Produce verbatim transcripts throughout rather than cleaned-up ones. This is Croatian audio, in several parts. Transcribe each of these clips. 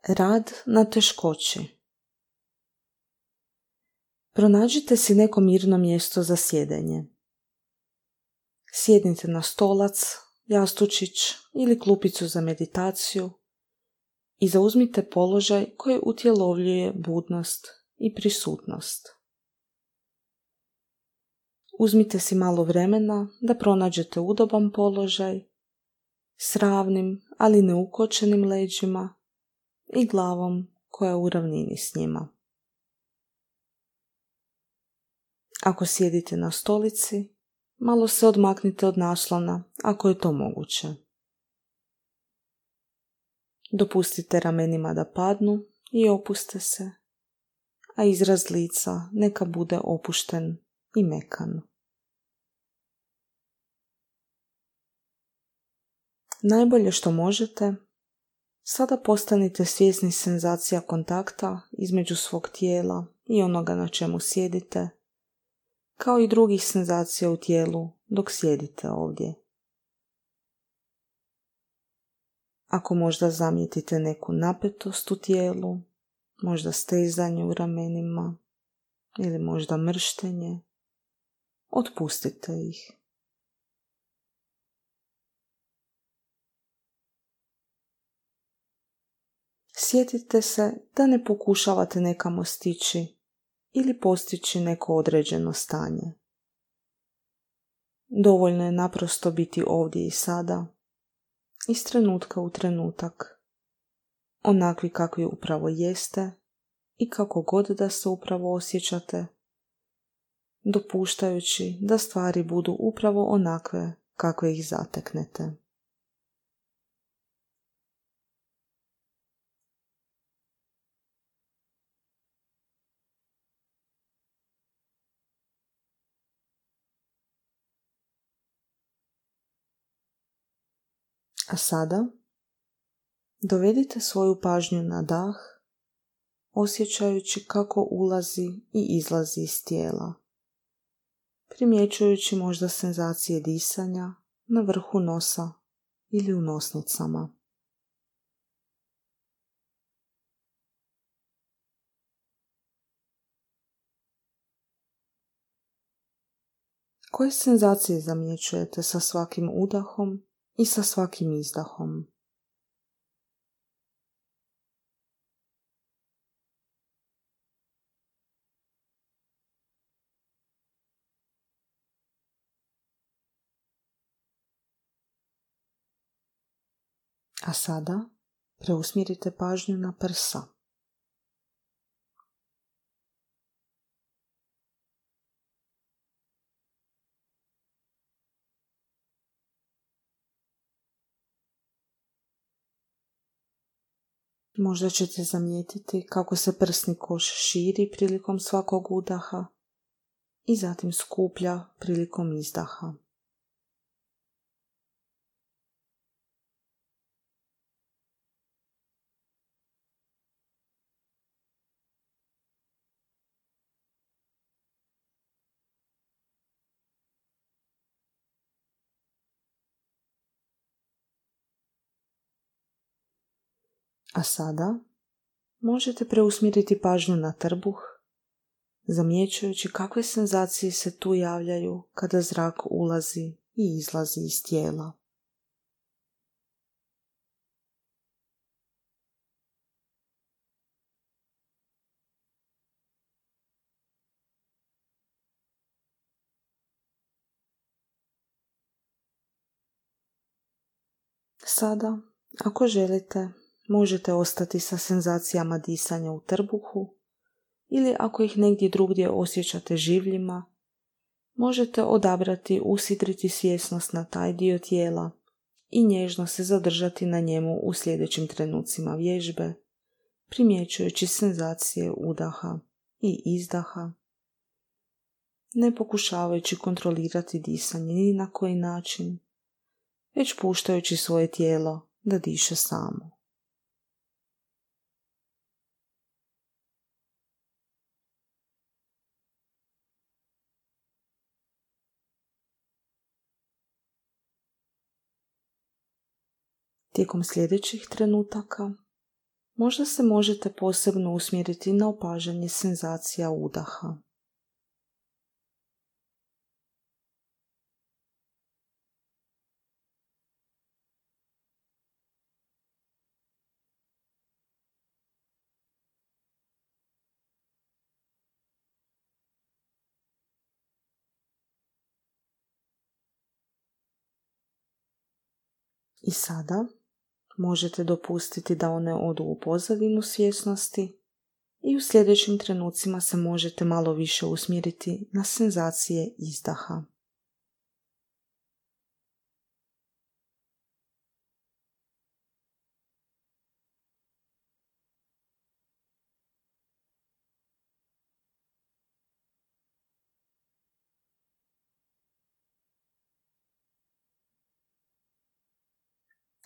Rad na teškoći. Pronađite si neko mirno mjesto za sjedenje. Sjednite na stolac, jastučić ili klupicu za meditaciju i zauzmite položaj koji utjelovljuje budnost i prisutnost. Uzmite si malo vremena da pronađete udoban položaj s ravnim, ali ne ukočenim leđima i glavom koja je u ravnini s njima. Ako sjedite na stolici, malo se odmaknite od naslona ako je to moguće. Dopustite ramenima da padnu i opuste se, a izraz lica neka bude opušten i mekan. Najbolje što možete, sada postanite svjesni senzacija kontakta između svog tijela i onoga na čemu sjedite, kao i drugih senzacija u tijelu dok sjedite ovdje. Ako možda zamijetite neku napetost u tijelu, možda stezanje u ramenima ili možda mrštenje, otpustite ih. Sjetite se da ne pokušavate nekamo stići ili postići neko određeno stanje. Dovoljno je naprosto biti ovdje i sada, iz trenutka u trenutak, onakvi kakvi upravo jeste i kako god da se upravo osjećate, dopuštajući da stvari budu upravo onakve kakve ih zateknete. A sada dovedite svoju pažnju na dah, osjećajući kako ulazi i izlazi iz tijela, primjećujući možda senzacije disanja na vrhu nosa ili u nosnicama. Koje senzacije zamjećujete sa svakim udahom i sa svakim izdahom? A sada preusmjerite pažnju na prsa. Možda ćete zamijetiti kako se prsni koš širi prilikom svakog udaha i zatim skuplja prilikom izdaha. A sada možete preusmjeriti pažnju na trbuh, zamjećujući kakve senzacije se tu javljaju kada zrak ulazi i izlazi iz tijela. Sada, ako želite, možete ostati sa senzacijama disanja u trbuhu ili ako ih negdje drugdje osjećate življima, možete odabrati usidriti svjesnost na taj dio tijela i nježno se zadržati na njemu u sljedećim trenucima vježbe, primjećujući senzacije udaha i izdaha, ne pokušavajući kontrolirati disanje ni na koji način, već puštajući svoje tijelo da diše samo. Tijekom sljedećih trenutaka Možda se možete posebno usmjeriti na opažanje senzacija udaha. I sada možete dopustiti da one odu u pozadinu svjesnosti i u sljedećim trenucima se možete malo više usmjeriti na senzacije izdaha.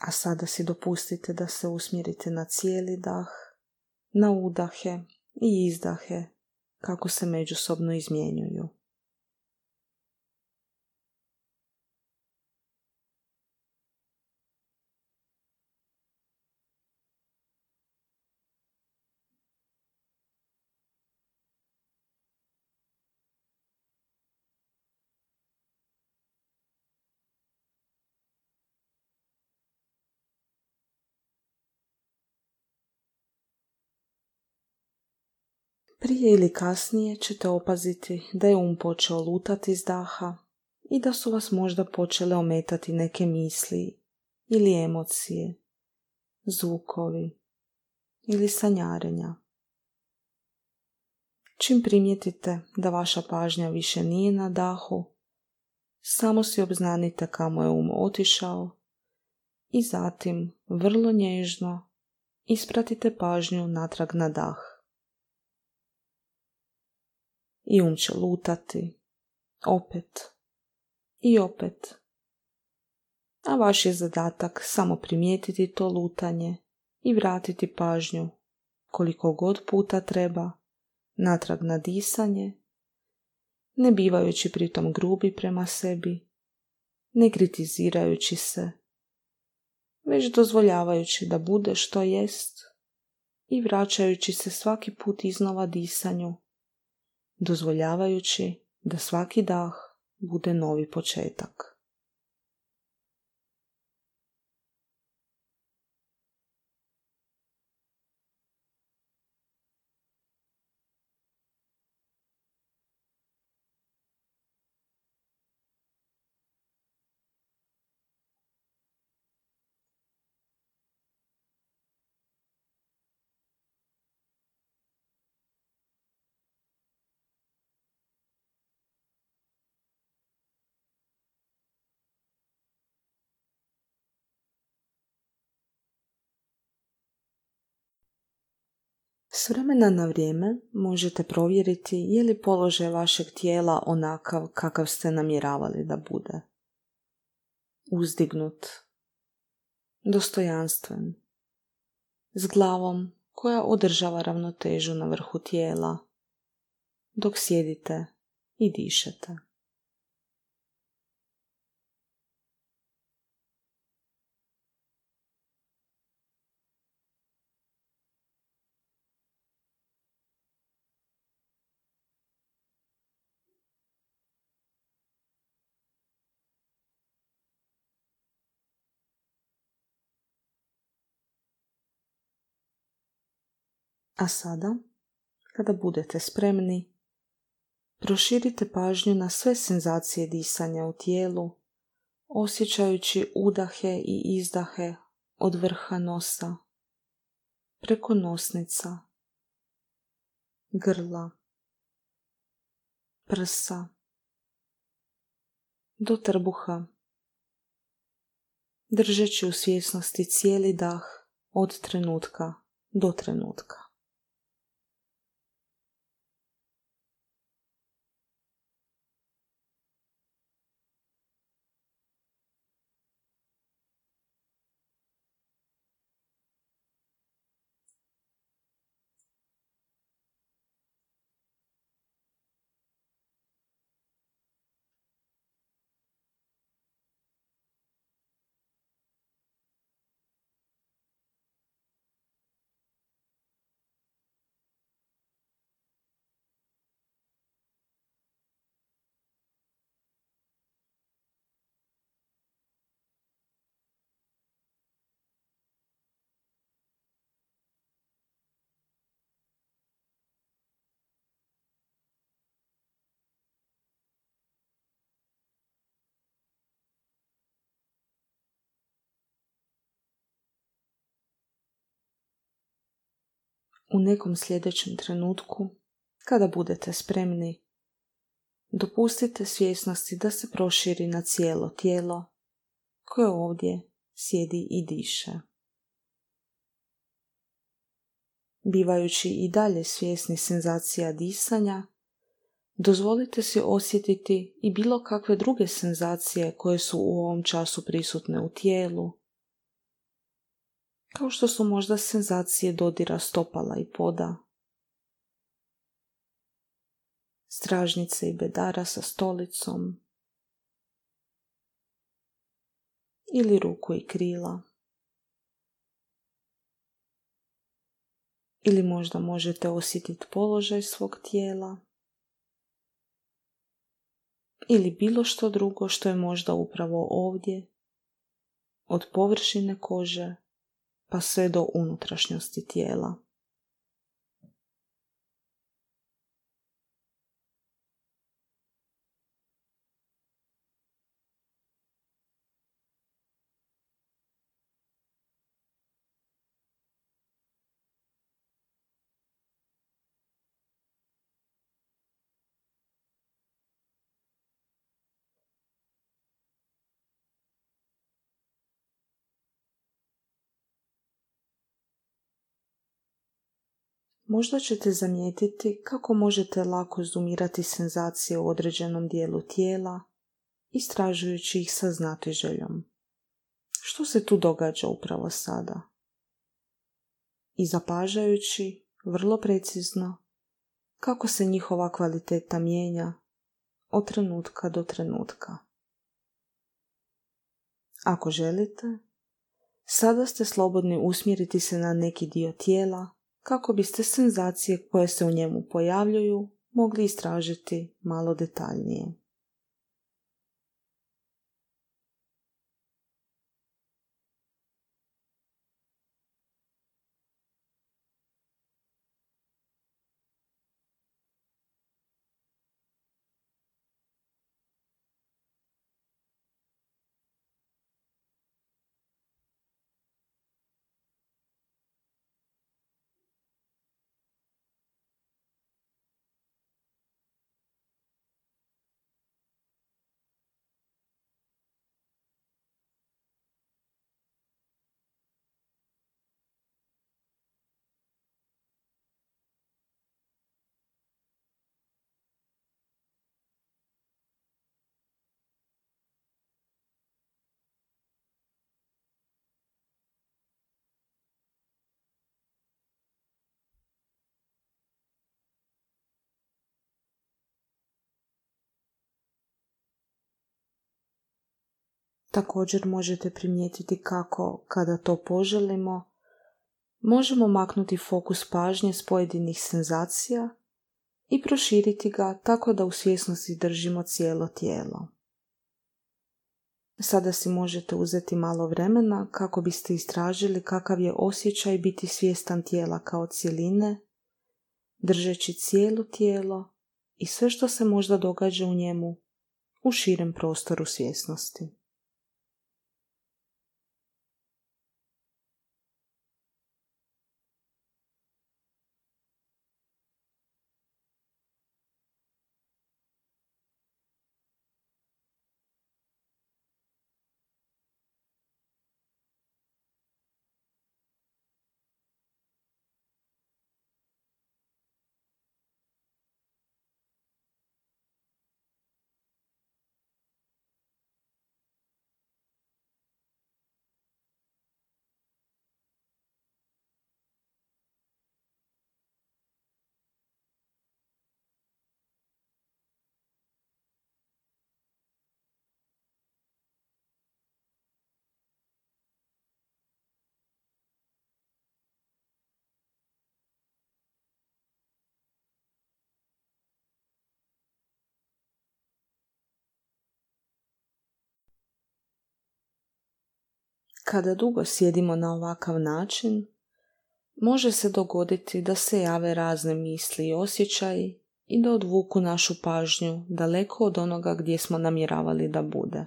A sada si dopustite da se usmjerite na cijeli dah, na udahe i izdahe, kako se međusobno izmjenjuju. Prije ili kasnije ćete opaziti da je um počeo lutati iz daha i da su vas možda počele ometati neke misli ili emocije, zvukovi ili sanjarenja. Čim primijetite da vaša pažnja više nije na dahu, samo si obznanite kamo je um otišao i zatim vrlo nježno ispratite pažnju natrag na dah. I um će lutati, opet i opet. A vaš je zadatak samo primijetiti to lutanje i vratiti pažnju koliko god puta treba natrag na disanje, ne bivajući pritom grubi prema sebi, ne kritizirajući se, već dozvoljavajući da bude što jest i vraćajući se svaki put iznova disanju, dozvoljavajući da svaki dah bude novi početak. S vremena na vrijeme možete provjeriti je li položaj vašeg tijela onakav kakav ste namjeravali da bude. Uzdignut, dostojanstven, s glavom koja održava ravnotežu na vrhu tijela, dok sjedite i dišete. A sada, kada budete spremni, proširite pažnju na sve senzacije disanja u tijelu, osjećajući udahe i izdahe od vrha nosa, preko nosnica, grla, prsa, do trbuha, držeći u svjesnosti cijeli dah od trenutka do trenutka. U nekom sljedećem trenutku, kada budete spremni, dopustite svjesnosti da se proširi na cijelo tijelo koje ovdje sjedi i diše. Bivajući i dalje svjesni senzacija disanja, dozvolite si osjetiti i bilo kakve druge senzacije koje su u ovom času prisutne u tijelu, kao što su možda senzacije dodira stopala i poda, stražnice i bedara sa stolicom ili ruku i krila. Ili možda možete osjetiti položaj svog tijela ili bilo što drugo što je možda upravo ovdje, od površine kože pa sve do unutrašnjosti tijela. Možda ćete zamijetiti kako možete lako zoomirati senzacije u određenom dijelu tijela, istražujući ih sa znatiželjom. Što se tu događa upravo sada? I zapažajući, vrlo precizno, kako se njihova kvaliteta mijenja od trenutka do trenutka. Ako želite, sada ste slobodni usmjeriti se na neki dio tijela kako biste senzacije koje se u njemu pojavljuju mogli istražiti malo detaljnije. Također možete primijetiti kako, kada to poželimo, možemo maknuti fokus pažnje s pojedinih senzacija i proširiti ga tako da u svjesnosti držimo cijelo tijelo. Sada si možete uzeti malo vremena kako biste istražili kakav je osjećaj biti svjestan tijela kao cjeline, držeći cijelo tijelo i sve što se možda događa u njemu u širem prostoru svjesnosti. Kada dugo sjedimo na ovakav način, može se dogoditi da se jave razne misli i osjećaji i da odvuku našu pažnju daleko od onoga gdje smo namjeravali da bude.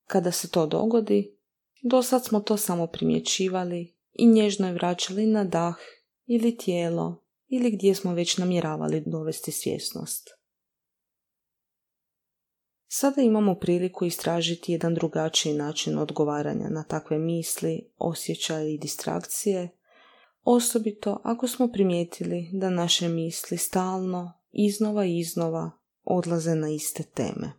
Kada se to dogodi, dosad smo to samo primjećivali i nježno je vraćali na dah ili tijelo ili gdje smo već namjeravali dovesti svjesnost. Sada imamo priliku istražiti jedan drugačiji način odgovaranja na takve misli, osjećaje i distrakcije, osobito ako smo primijetili da naše misli stalno, iznova i iznova odlaze na iste teme.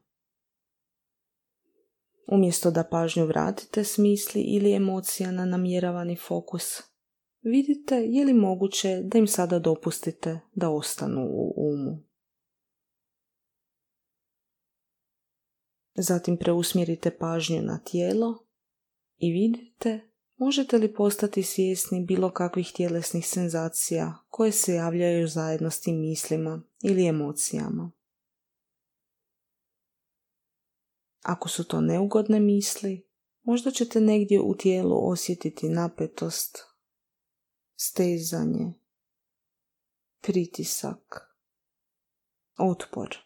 Umjesto da pažnju vratite s misli ili emocija na namjeravani fokus, vidite je li moguće da im sada dopustite da ostanu u umu. Zatim preusmjerite pažnju na tijelo i vidite možete li postati svjesni bilo kakvih tjelesnih senzacija koje se javljaju zajedno s tim mislima ili emocijama. Ako su to neugodne misli, možda ćete negdje u tijelu osjetiti napetost, stezanje, pritisak, otpor.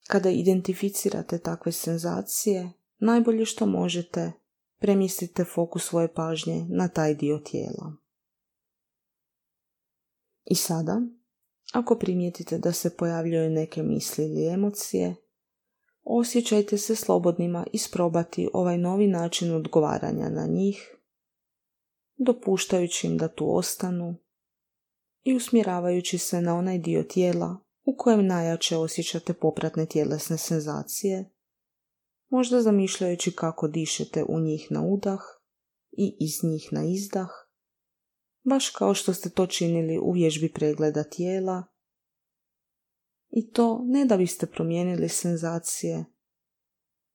Kada identificirate takve senzacije, najbolje što možete, premjestite fokus svoje pažnje na taj dio tijela. I sada, ako primijetite da se pojavljaju neke misli ili emocije, osjećajte se slobodnima isprobati ovaj novi način odgovaranja na njih, dopuštajući im da tu ostanu i usmjeravajući se na onaj dio tijela u kojem najjače osjećate popratne tjelesne senzacije, možda zamišljajući kako dišete u njih na udah i iz njih na izdah, baš kao što ste to činili u vježbi pregleda tijela, i to ne da biste promijenili senzacije,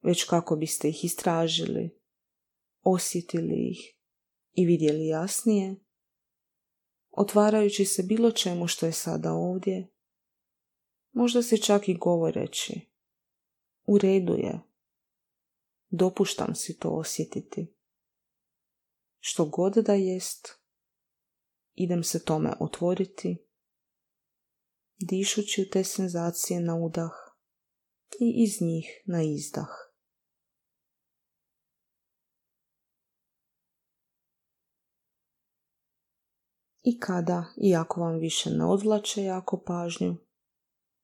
već kako biste ih istražili, osjetili ih i vidjeli jasnije, otvarajući se bilo čemu što je sada ovdje, možda se čak i govoreći, u redu je, dopuštam si to osjetiti. Što god da jest, idem se tome otvoriti, dišući u te senzacije na udah i iz njih na izdah. I kada, iako vam više ne odvlače jako pažnju,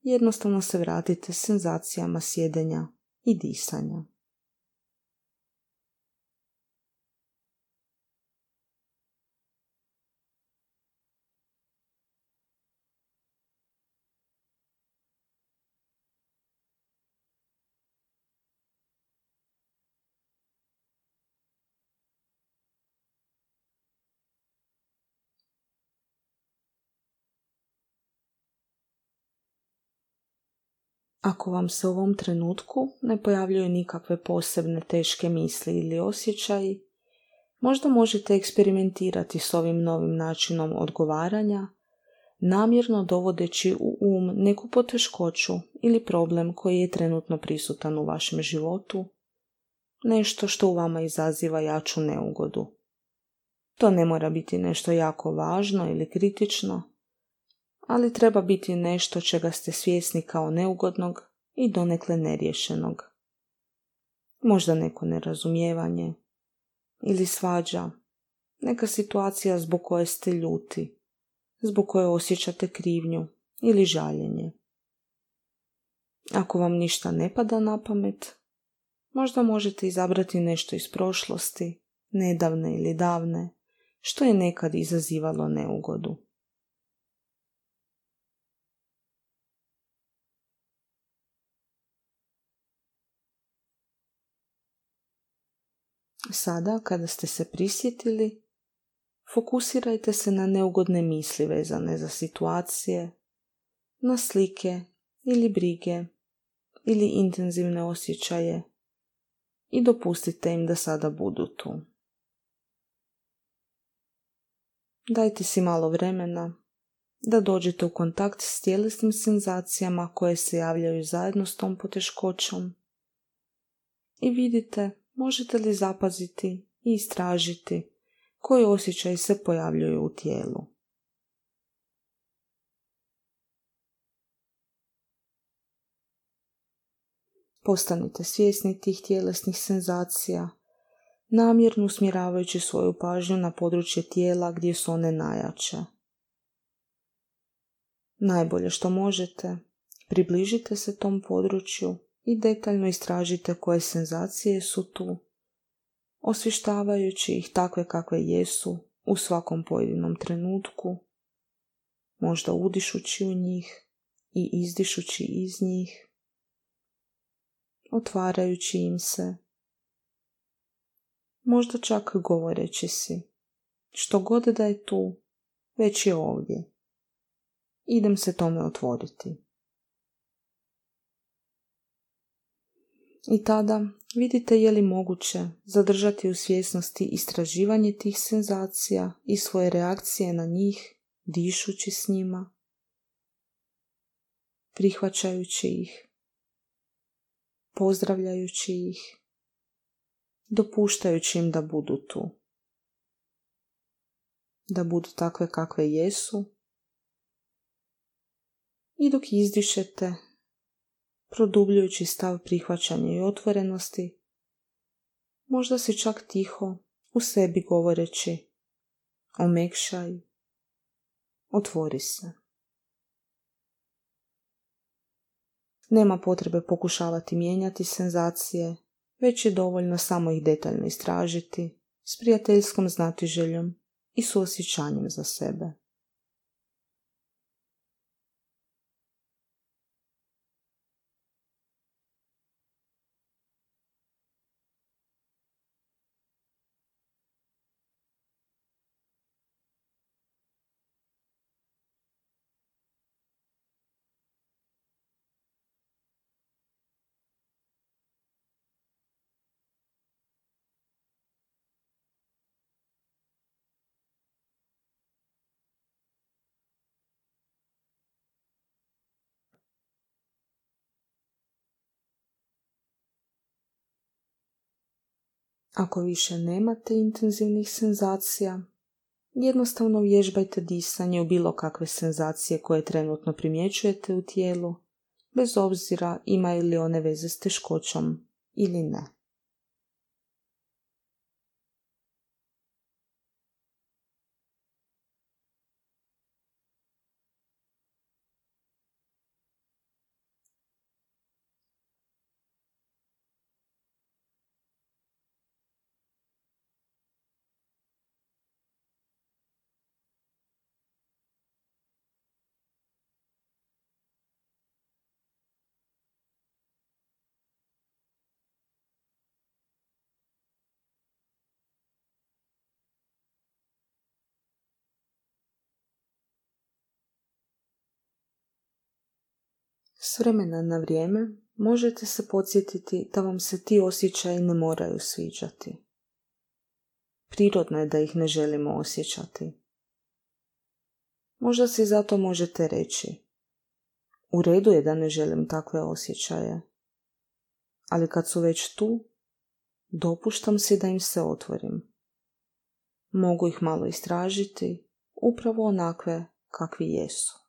jednostavno se vratite senzacijama sjedenja i disanja. Ako vam se u ovom trenutku ne pojavljuju nikakve posebne teške misli ili osjećaji, možda možete eksperimentirati s ovim novim načinom odgovaranja, namjerno dovodeći u um neku poteškoću ili problem koji je trenutno prisutan u vašem životu, nešto što u vama izaziva jaču neugodu. To ne mora biti nešto jako važno ili kritično, ali treba biti nešto čega ste svjesni kao neugodnog i donekle neriješenog. Možda neko nerazumijevanje ili svađa, neka situacija zbog koje ste ljuti, zbog koje osjećate krivnju ili žaljenje. Ako vam ništa ne pada na pamet, možda možete izabrati nešto iz prošlosti, nedavne ili davne, što je nekad izazivalo neugodu. Sada, kada ste se prisjetili, fokusirajte se na neugodne misli vezane za situacije, na slike ili brige ili intenzivne osjećaje i dopustite im da sada budu tu. Dajte si malo vremena da dođete u kontakt s tjelesnim senzacijama koje se javljaju zajedno s tom poteškoćom i vidite možete li zapaziti i istražiti koji osjećaji se pojavljuju u tijelu. Postanite svjesni tih tjelesnih senzacija, namjerno usmjeravajući svoju pažnju na područje tijela gdje su one najjače. Najbolje što možete, približite se tom području i detaljno istražite koje senzacije su tu, osvještavajući ih takve kakve jesu u svakom pojedinom trenutku, možda udišući u njih i izdišući iz njih, otvarajući im se, možda čak govoreći si, što god da je tu, već je ovdje. Idem se tome otvoriti. I tada vidite je li moguće zadržati u svjesnosti istraživanje tih senzacija i svoje reakcije na njih, dišući s njima, prihvaćajući ih, pozdravljajući ih, dopuštajući im da budu tu, da budu takve kakve jesu, i dok izdišete, produbljujući stav prihvaćanja i otvorenosti, možda si čak tiho u sebi govoreći: omekšaj, otvori se. Nema potrebe pokušavati mijenjati senzacije, već je dovoljno samo ih detaljno istražiti s prijateljskom znatiželjom i suosjećanjem za sebe. Ako više nemate intenzivnih senzacija, jednostavno vježbajte disanje u bilo kakve senzacije koje trenutno primjećujete u tijelu, bez obzira imaju li one veze s teškoćom ili ne. S vremena na vrijeme možete se podsjetiti da vam se ti osjećaji ne moraju sviđati. Prirodno je da ih ne želimo osjećati. Možda si zato možete reći: u redu je da ne želim takve osjećaje, ali kad su već tu, dopuštam si da im se otvorim. Mogu ih malo istražiti, upravo onakve kakvi jesu.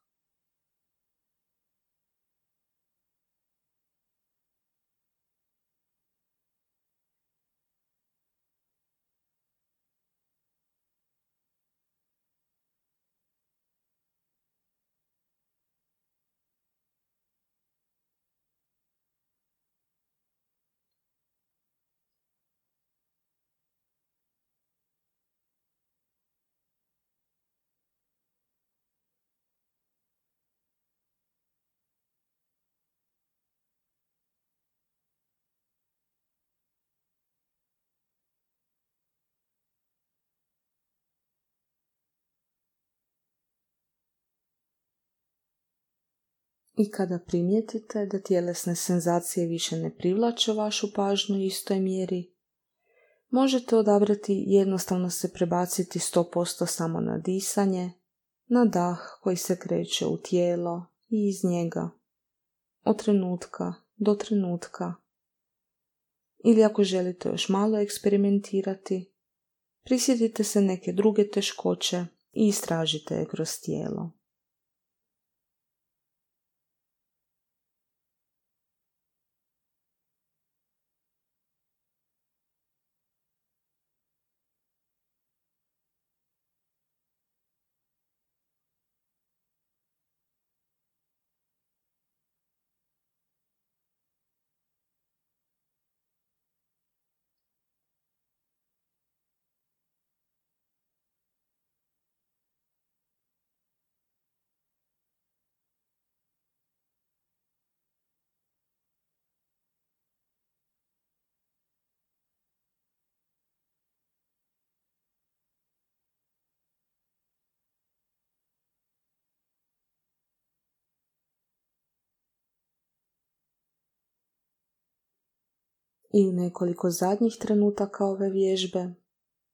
I kada primijetite da tjelesne senzacije više ne privlače vašu pažnju u istoj mjeri, možete odabrati jednostavno se prebaciti sto posto samo na disanje, na dah koji se kreće u tijelo i iz njega, od trenutka do trenutka. Ili ako želite još malo eksperimentirati, prisjetite se neke druge teškoće i istražite je kroz tijelo. I u nekoliko zadnjih trenutaka ove vježbe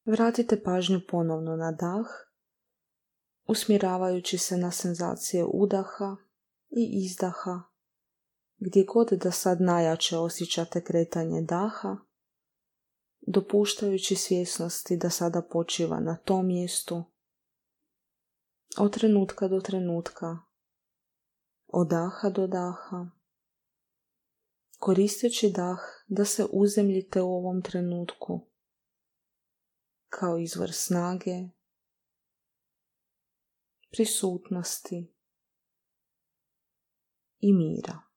vratite pažnju ponovno na dah, usmjeravajući se na senzacije udaha i izdaha, gdje god da sad najjače osjećate kretanje daha, dopuštajući svjesnosti da sada počiva na tom mjestu, od trenutka do trenutka, od daha do daha, koristeći dah da se uzemljite u ovom trenutku kao izvor snage, prisutnosti i mira.